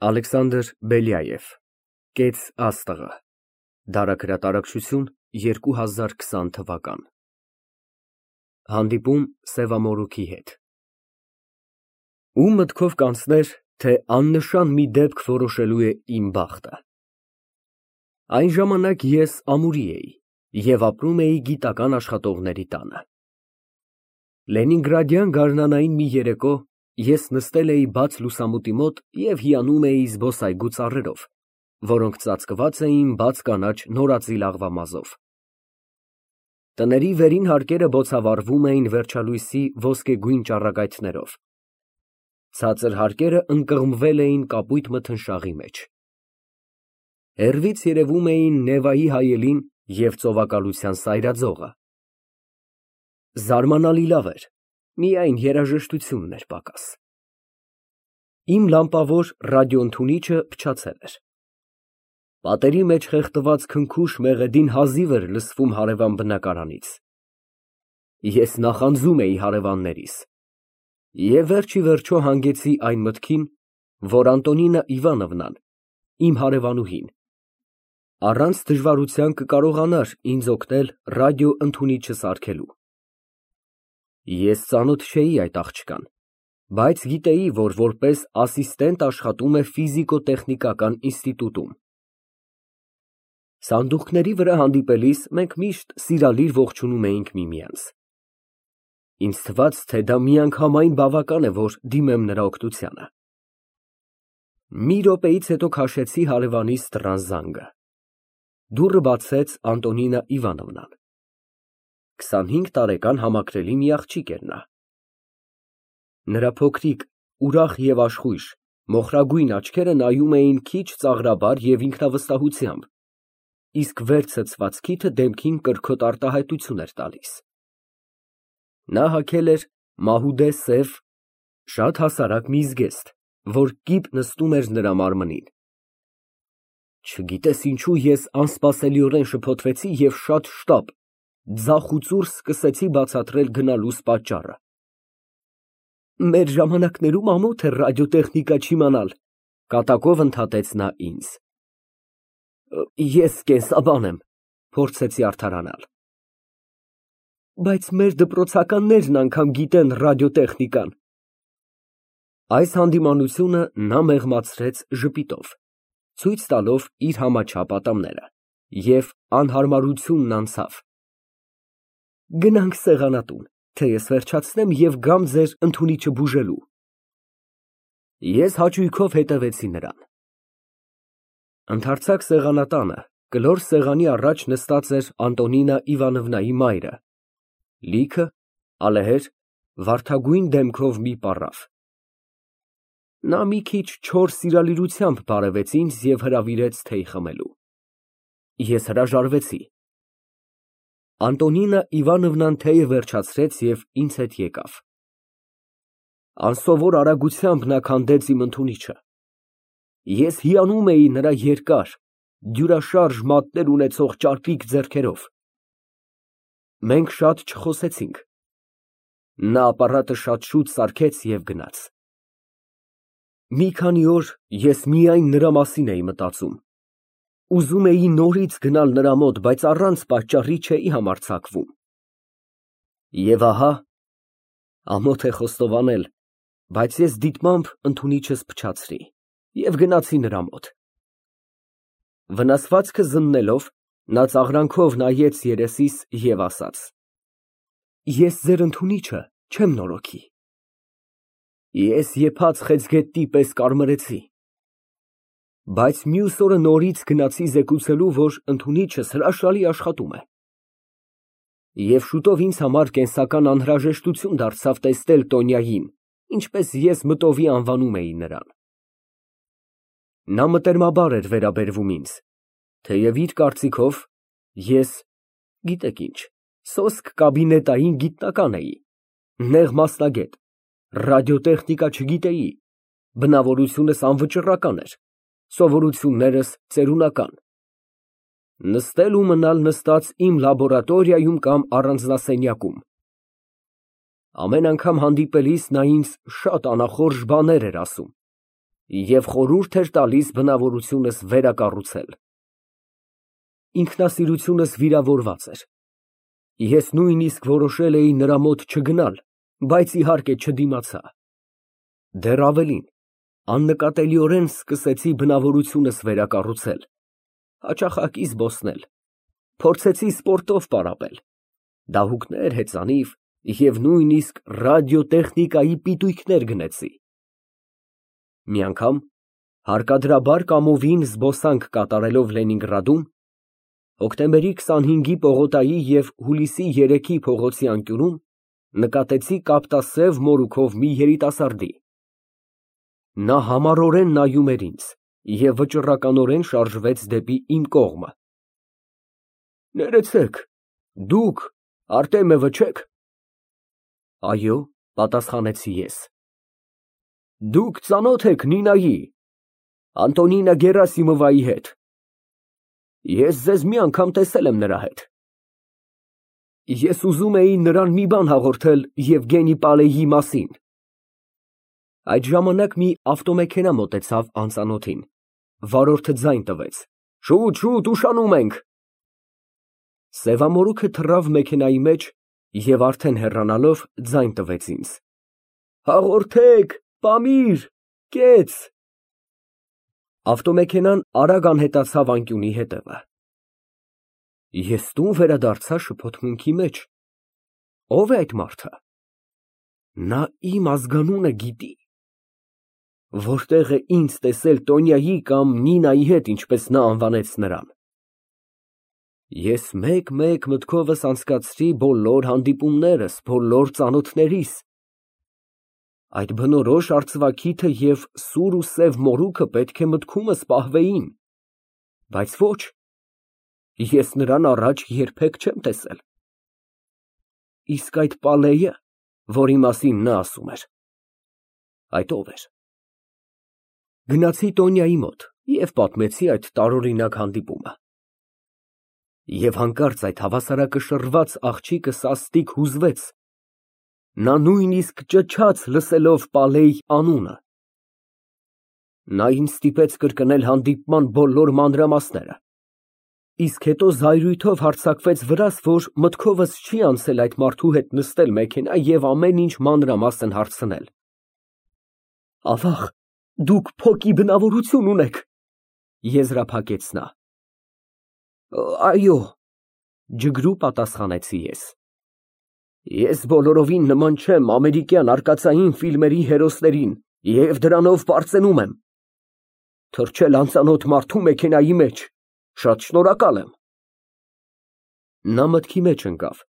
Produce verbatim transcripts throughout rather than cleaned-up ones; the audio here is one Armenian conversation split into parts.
Ալեքսանդր Բելյաև Կեց աստղը Դարագրատարակչություն երկու հազար քսան թվական Հանդիպում Սևամորուքի հետ Ում մտքով կանցներ, թե աննշան մի դեպք որոշելու է իմ բախտը։ Այն ժամանակ ես ամուրի էի և ապրում էի գիտական աշխատողների տանը։ Լենինգրադյան գարնանային մի երեկո ես նստել էի բաց լուսամուտի մոտ և հիանում էի զբոսայգու ծառերով, որոնք ծածկված էին բաց կանաչ նորածիլ աղվամազով։ Տների վերին հարկերը բոցավառվում էին վերջալույսի ոսկեգույն ճառագայթներով։ Ցածր հարկերը ընկղմվել էին կապույտ մթնշաղի մեջ։ Հեռվից երևում էին Նևայի հայելին և ծովակալության սայրաձողը։ Զարմանալի լավ էր, միայն երաժշտությունն էր պակաս։ Իմ լամպավոր ռադիոընդունիչը փչացել էր։ Պատերի մեջ խեղդված քնքուշ մեղեդին հազիվ էր լսվում հարևան բնակարանից։ Ես նախանձում էի հարևաններիս և վերջիվերջո հանգեցի այն մտքին, որ Անտոնինա Իվանովնան, իմ հարևանուհին, առանց դժվարության կկարողանար ինձ օգնել ռադիոընդունիչը սարքելու։ Ես ծանոթ չէի այդ աղջկան, բայց գիտեի, որ որպես ասիստենտ աշխատում է ֆիզիկո֊տեխնիկական ինստիտուտում։ Սանդուղքների վրա հանդիպելիս մենք միշտ սիրալիր ողջունում էինք միմյանց։ Ինձ թվաց, թե դա միանգամայն բավական է, որ դիմեմ նրա օգնությանը։ Մի րոպեից հետո քաշեցի հարևանիս դռան զանգը։ Դուռը բացեց Անտոնինա Իվանովնան։ քսանհինգ տարեկան համակրելի մի աղջիկ էր նա։ Նրա փոքրիկ, ուրախ և աշխույժ, մոխրագույն աչքերը նայում էին քիչ ծաղրաբար և ինքնավստահությամբ, իսկ վեր ցցված քիթը դեմքին կրքոտ արտահայտություն էր տալիս։ Նա հագել էր մահուդե սև, շատ հասարակ մի զգեստ, որ կիպ նստում էր նրա մարմնին։ Չգիտես ինչու ես անսպասելիորեն շփոթվեցի և շատ շտապ, ձախ ու ծուռ սկսեցի բացատրել գնալուս պատճառը։ Մեր ժամանակներում ամոթ էր ռադիոտեխնիկա չիմանալ, կատակով ընդհատեց նա ինձ։ Ես կենսաբան եմ, փորձեցի արդարանալ։ Բայց մեր դպրոցականներն անգամ գիտեն ռադիոտեխնիկան։ Այս հանդիմանությունը նա մեղմացրեց ժպիտով, ցույց տալով իր համաչափ ատամները, և անհարմարությունն անցավ։ Գնանք սեղանատուն, թե ես վերջացնեմ և գամ ձեր ընդունիչը բուժելու։ Ես հաճույքով հետևեցի նրան։ Ընդարձակ սեղանատանը, կլոր սեղանի առաջ նստած էր Անտոնինա Իվանովնայի մայրը, լիքը, ալեհեր, վարդագույն դեմքով մի պառավ։ Նա մի քիչ չոր սիրալիրությամբ բարևեց ինձ և հրավիրեց թեյ խմելու։ Ես հրաժարվեցի։ Անտոնինա Իվանովնան թեյը վերջացրեց և ինձ հետ եկավ։ Անսովոր արագությամբ նա քանդեց իմ ընդունիչը։ Ես հիանում էի նրա երկար, դյուրաշարժ մատներ ունեցող ճարպիկ ձեռքերով։ Մենք շատ չխոսեցինք։ Նա ապարատը շատ շուտ սարքեց և գնաց։ Մի քանի օր ես միայն նրա մասին էի մտածում։ Ուզում էի նորից գնալ նրա մոտ, բայց առանց պատճառի չէի համարձակվում։ Եվ ահա, ամոթ է խոստովանել, բայց ես դիտմամբ ընդունիչս փչացրի և գնացի նրա մոտ։ Վնասվածքը զննելով, նա ծաղրանքով նայեց երեսիս և ասաց. Ես ձեր ընդունիչը չեմ նորոգի։ Ես եփած խեցգետնի պես կարմրեցի։ Բայց մյուս օրը նորից գնացի զեկուցելու, որ ընդունիչս հրաշալի աշխատում է։ Եվ շուտով ինձ համար կենսական անհրաժեշտություն դարձավ տեսնել Տոնյային, ինչպես ես մտովի անվանում էի նրան։ Նա մտերմաբար էր վերաբերվում ինձ, թեև իր կարծիքով ես, գիտեք ինչ, սոսկ կաբինետային գիտնական էի, նեղ մասնագետ, ռադիոտեխնիկա չգիտեի, բնավորությունս անվճռական էր, սովորություններս ծերունական։ Նստել ու մնալ նստած իմ լաբորատորիայում կամ առանձնասենյակում։ Ամեն անգամ հանդիպելիս նա ինձ շատ անախորժ բաներ էր ասում, և խորհուրդ էր տալիս բնավորությունս վերակառուցել։ Ինքնասիրությունս վիրավորված էր։ Ես նույնիսկ որոշել էի նրա մոտ չգնալ, բայց իհարկե չդիմացա։ Դեռ ավելին, աննկատելիորեն սկսեցի բնավորությունս վերակառուցել, հաճախակի զբոսնել, փորձեցի սպորտով պարապել, դահուկներ, հեծանիվ և նույնիսկ ռադիոտեխնիկայի պիտույքներ գնեցի։ Մի անգամ, հարկադրաբար կամովին զբոսանք կատարելով Լենինգրադում, հոկտեմբերի քսանհինգի պողոտայի և հուլիսի երեքի փողոցի անկյունում նկատեցի կապտասև մորուքով մի երիտասարդի։ Նա համառորեն նայում էր ինձ և վճռականորեն շարժվեց դեպի իմ կողմը։ Ներեցեք, դուք Արտեմևը չե՞ք։ Այո, պատասխանեցի ես։ Դուք ծանո՞թ եք Նինայի, Անտոնինա Գերասիմովայի հետ։ Ես ձեզ մի անգամ տեսել եմ նրա հետ։ Ես ուզում էի նրան մի բան հաղորդել Եվգենի Պալեյի մասին։ Այդ ժամանակ մի ավտոմեքենա մոտեցավ անծանոթին, վարորդը ձայն տվեց. Շուտ, շուտ, ուշանում ենք։ Սևամորուքը թռավ մեքենայի մեջ և արդեն հեռանալով ձայն տվեց ինձ. Հաղորդեք, Պամիր, կեց։ Ավտոմեքենան արագ անհետացավ անկյունի հետևը։ Ես տուն վերադարձա շփոթմունքի մեջ։ Ո՞վ է այդ մարդը։ Նա իմ ազգանունը գիտի։ Որտեղ է ինձ տեսել Տոնյայի կամ Նինայի հետ, ինչպես նա անվանեց նրան։ Ես մեկ֊մեկ մտքովս անցկացրի բոլոր հանդիպումներս, բոլոր ծանոթներիս։ Այդ բնորոշ արծվաքիթը և սուր ու սև մորուքը պետք է մտքումս պահվեին, բայց ոչ, ես նրան առաջ երբեք չեմ տեսել։ Իսկ այդ Պալեյը, որի մասին նա ասում էր, այդ ո՞վ էր։ Գնացի Տոնյայի մոտ և պատմեցի այդ տարօրինակ հանդիպումը։ Եվ հանկարծ այդ հավասարակշռված աղջիկը սաստիկ հուզվեց, նա նույնիսկ ճչաց լսելով Պալեյ անունը։ Նա ինձ ստիպեց կրկնել հանդիպման բոլոր մանրամասները, իսկ հետո զայրույթով հարձակվեց վրաս, որ մտքովս չի անցել այդ մարդու հետ նստել մեքենա և ամեն ինչ մանրամասն հարցնել։ Ավաղ, դուք փոքի բնավորություն ունեք, եզրափակեց նա։ Այո, ջգրու պատասխանեցի ես։ Ես բոլորովին նման չեմ ամերիկյան արկածային ֆիլմերի հերոսներին և դրանով պարծենում եմ։ Թռչել անծանոթ մարդու մեքենայի մեջ, շատ շնորհակալ եմ։ Նա մտքի մեջ ընկավ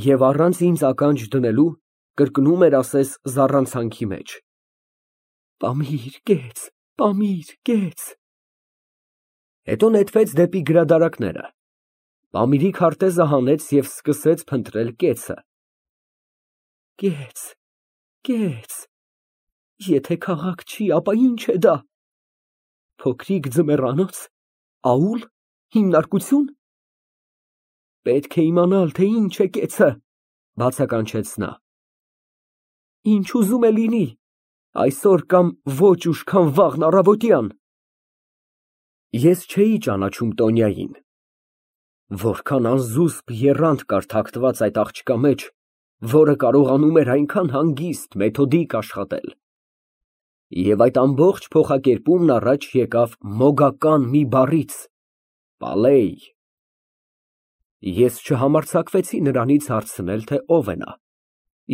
և առանց ինձ ականջ դնելու կրկնում էր ասես զառանցանքի մեջ. Պամիր, կեց, Պամիր, կեց։ Հետո նետվեց դեպի գրադարանները, Պամիրի քարտեզը հանեց և սկսեց փնտրել կեցը։ Կեց, կեց, եթե քաղաք չի, ապա ի՞նչ է դա։ Փոքրիկ ձմեռանոց, աուլ, հիմնարկությո՞ւն։ Պետք է իմանալ, թե ինչ է կեցը, բացականչեց նա։ Ինչ ուզում է լինի, այսօր կամ ոչ ուշ, քան վաղն առավոտյան։ Ես չէի ճանաչում Տոնյային։ Որքան անզուսպ եռանդ կար թաքնված այդ աղջկա մեջ, որը կարողանում էր այնքան հանգիստ, մեթոդիկ աշխատել։ Եվ այդ ամբողջ փոխակերպումն առաջ եկավ մոգական մի բառից՝ Պալեյ։ Ես չհամարձակվեցի նրանից հարցնել, թե ով է նա,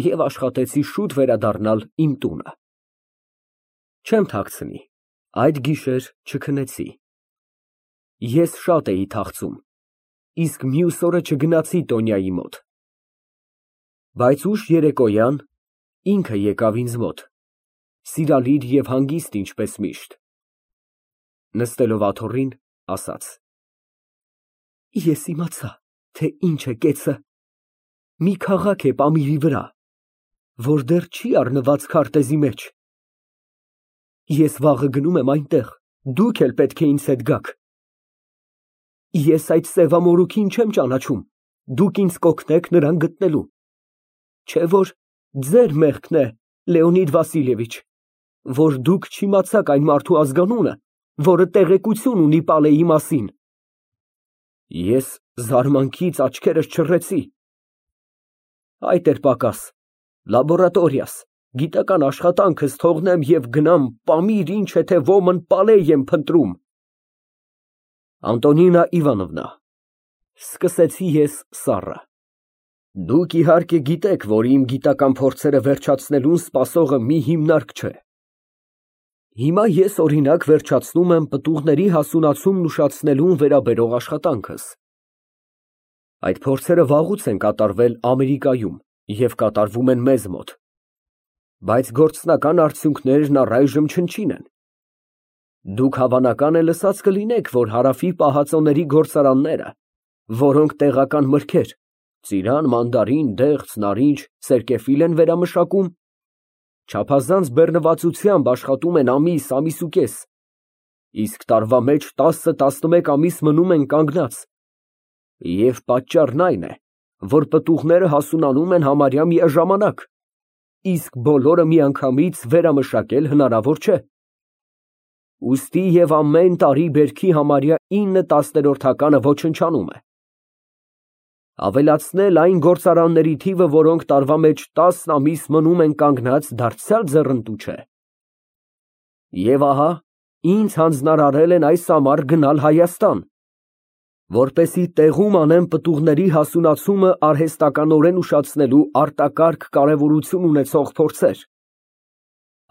և աշխատեցի շուտ վերադառնալ իմ տունը։ Չեմ թաքցնի, այդ գիշեր չքնեցի։ Ես շատ էի թախծում, իսկ մյուս օրը չգնացի Տոնյայի մոտ։ Բայց ուշ երեկոյան ինքը եկավ ինձ մոտ, սիրալիր և հանգիստ ինչպես միշտ։ Նստելով աթոռին, ասաց. Ես իմացա, թե ինչ է կեցը։ Մի քաղաք է Պամիրի վրա, որ դեռ չի առնված քարտեզի մեջ։ Ես վաղը գնում եմ այնտեղ, դուք էլ պետք է ինձ հետ գաք։ Ես այդ սևամորուքին չեմ ճանաչում, դուք ինձ կօգնեք նրան գտնելու։ Չէ՞ որ ձեր մեղքն է, Լեոնիդ Վասիլևիչ։ որ դուք չիմացաք այն մարդու ազգանունը, որը տեղեկություն ունի Պալեի մասին։ Ես զարմանքից աչքերս չռեցի։ Այդ էր պակաս, լաբորատորիաս, գիտական աշխատանքս թողնեմ և գնամ Պամիր, ինչ է թե ոմն Պալեյ եմ փնտրում։ Անտոնինա Իվանովնա, սկսեցի ես սառը, դուք իհարկե գիտեք, որ իմ գիտական փորձերը վերջացնելուն սպասողը մի հիմնարկ չէ։ Հիմա ես օրինակ վերջացնում եմ պտուղների հասունացումն ուշացնելուն վերաբերող աշխատանքս։ Այդ փորձերը վաղուց են կատարվել Ամերիկայում և կատարվում են մեզ մոտ, բայց գործնական արդյունքներն առայժմ չնչին են։ Դուք հավանական է լսած կլինեք, որ Հարավի պահածոների գործարանները, որոնք տեղական մրգեր, ծիրան, մանդարին, դեղց, նարինջ, սերկևիլ են վերամշակում, չափազանց բեռնվածությամբ աշխատում են ամիս, ամիսուկես, իսկ տարվա մեջ տասը֊տասնմեկ ամիս մնում են կանգնած, և պատճառն այն է, որ պտուղները հասունանում են համարյա միաժամանակ, իսկ բոլորը միանգամից վերամշակել հնարավոր չէ։ Ուստի և ամեն տարի բերքի համարյա ինը տասներորդականը ոչնչանում է։ Ավելացնել այն գործարանների թիվը, որոնք տարվա մեջ տասն ամիս մնում են կանգնած, դարձյալ ձեռնտու չէ։ Եվ ահա, ինձ հանձնարարել են այս ամառ գնալ Հայաստան, որպեսզի տեղում անեմ պտուղների հասունացումը արհեստականորեն ուշացնելու արտակարգ կարևորություն ունեցող փորձեր։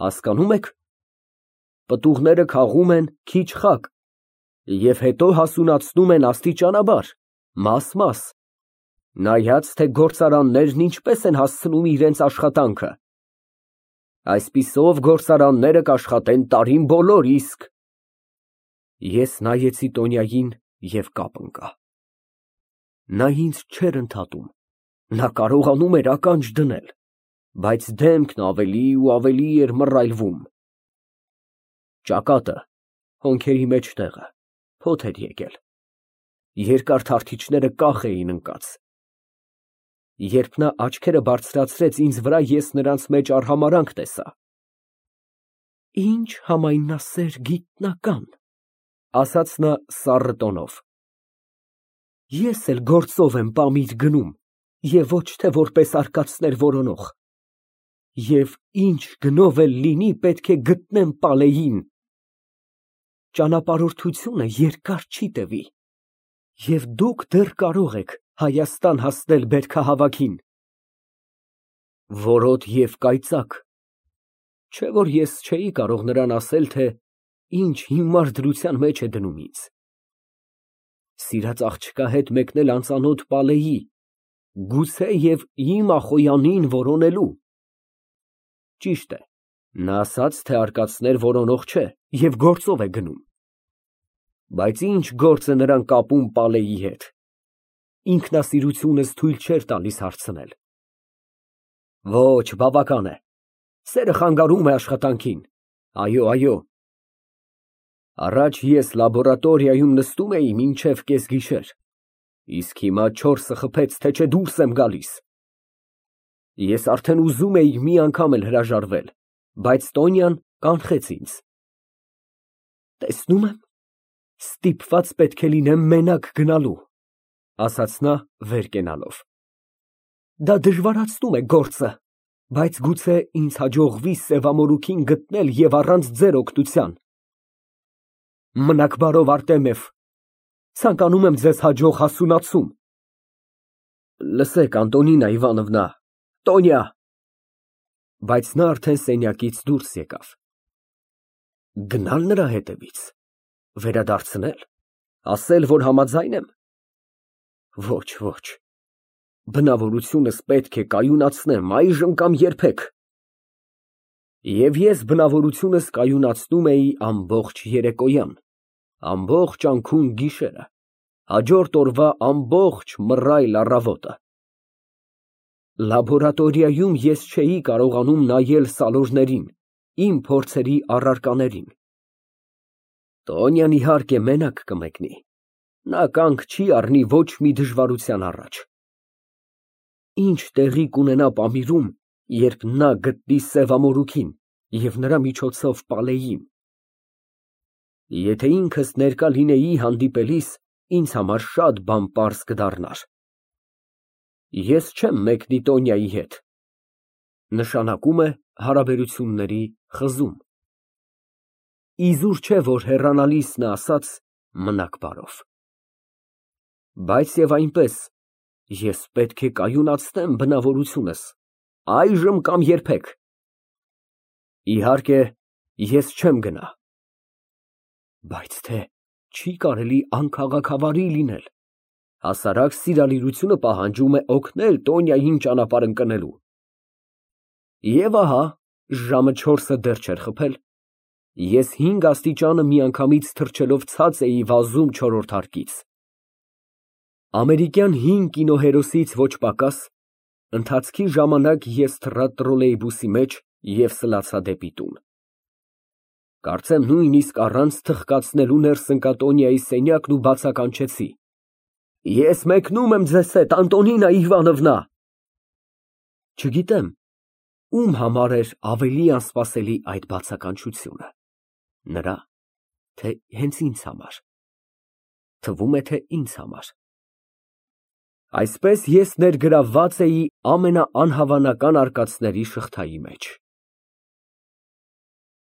Հասկանում եք, պտուղները քաղում են քիչ-խակ և հետո հասունացնում են աստիճանաբար, մաս֊մաս, նայած, թե գործարաններն ինչպես են հասցնում իրենց աշխատանքը։ Այսպիսով գործարանները կաշխատեն տարին բոլոր, իսկ… Ես նայեցի Տոնյային և կապ ընկա։ Նա ինձ չէր ընդհատում, նա կարողանում էր ականջ դնել, բայց դեմքն ավելի ու ավելի էր մռայլվում։ Ճակատը, հոնքերի մեջտեղը, փոթ էր եկել, երկար թարթիչները կախ էին ընկած։ Երբ նա աչքերը բարձրացրեց ինձ վրա, ես նրանց մեջ արհամարհանք տեսա։ Ինչ համայնասեր գիտնական, ասաց նա սառը տոնով։ Ես էլ գործով եմ Պամիր գնում, և ոչ թե որպես արկածներ որոնող, և ինչ գնով էլ լինի, պետք է գտնեմ Պալեյին։ Ճանապարհորդությունը երկար չի տևի, և դուք դեռ կարող եք Հայաստան հասնել բերքահավաքին։ Որոտ և կայծակ, չէ՞ որ ես չէի կարող նրան ասել, թե ինչ հիմար դրության մեջ է դնում ինձ։ Սիրած աղջկա հետ մեկնել անծանոթ Պալեյի, գուցե և իմ Ախոյանին որոնելու։ Ճիշտ է, նա ասաց, թե արկածներ որոնող չէ և գործով է գնում։ Բայց ինչ գործ է նրան կապում Պալեյի հետ։ Ինքնասիրությունս թույլ չէր տալիս հարցնել։ Ոչ, բավական է, սերը խանգարում է աշխատանքին, այո, այո։ Առաջ ես լաբորատորիայում նստում էի մինչև կեսգիշեր, իսկ հիմա չորսը խփեց, թե չէ դուրս եմ գալիս։ Ես արդեն ուզում էի մի անգամ էլ հրաժարվել, բայց Տոնյան կանխեց ինձ։ Տեսնում եմ, ստիպված պետք է լինեմ մենակ գնալու, ասաց նա վեր կենալով։ Դա դժվարացնում է գործը, բայց գուցե ինձ հաջողվի սևամորուքին գտնել և առանց ձեր օգնության։ Մնաք բարով, Արտեմիև, ցանկանում եմ ձեզ հաջող հասունացում։ Լսեք, Անտոնինա Իվանովնա, Տոնյա… Բայց նա արդեն սենյակից դուրս եկավ։ Գնա՞լ նրա հետևից, վերադարձնե՞լ, ասել, որ համաձայն եմ։ Ոչ, ոչ, բնավորությունս պետք է կայունացնեմ այժմ կամ երբեք։ Եվ ես բնավորությունս կայունացնում էի ամբողջ երեկոյան, ամբողջ անքուն գիշերը, հաջորդ օրվա ամբողջ մռայլ առավոտը։ Լաբորատորիայում ես չէի կարողանում նայել սալորներին, իմ փորձերի առարկաներին։ Տոնյան իհարկե մենակ կմեկնի, նա կանգ չի առնի ոչ մի դժվարության առաջ։ Ինչ տեղի կունենա Պամիրում, երբ նա գտնի սևամորուքին, և նրա միջոցով Պալեիին։ Եթե ինքս ներկա լինեի հանդիպելիս, ինձ համար շատ բան պարզ կդառնար։ Ես չեմ մեկնի Տոնյայի հետ, նշանակում է հարաբերությունների խզում։ Իզուր չէ, որ հեռանալիս նա ասաց «մնաք բարով»։ Բայց և այնպես, ես պետք է կայունացնեմ բնավորությունս, այժմ կամ երբեք։ Իհարկե, ես չեմ գնա։ Բայց թե չի կարելի անքաղաքավարի լինել, հասարակ սիրալիրությունը պահանջում է օգնել Տոնյային ճանապարհ ընկնելու։ Եվ ահա, ժամը չորսը դեռ չէր խփել, ես հինգ աստիճանը միանգամից թռչելով ցած էի վազում չորրորդ հարկից։ Ամերիկյան հին կինոհերոսից ոչ պակաս, ընթացքի ժամանակ ես թռա տրոլեյբուսի մեջ և սլացա դեպի տուն։ Կարծեմ նույնիսկ առանց թխկացնելու ներս ընկա Տոնյայի սենյակն ու բացականչեցի. «Ես մեկնում եմ ձեզ հետ, Անտոնինա Իվանովնա»։ Չգիտեմ, ում համար էր ավելի անսպասելի այդ բացականչությունը, նրա, թե հենց ինձ համար։ Թվում է, թե ինձ համար։ Այսպես ես ներգրավված էի ամենաանհավանական արկածների շղթայի մեջ։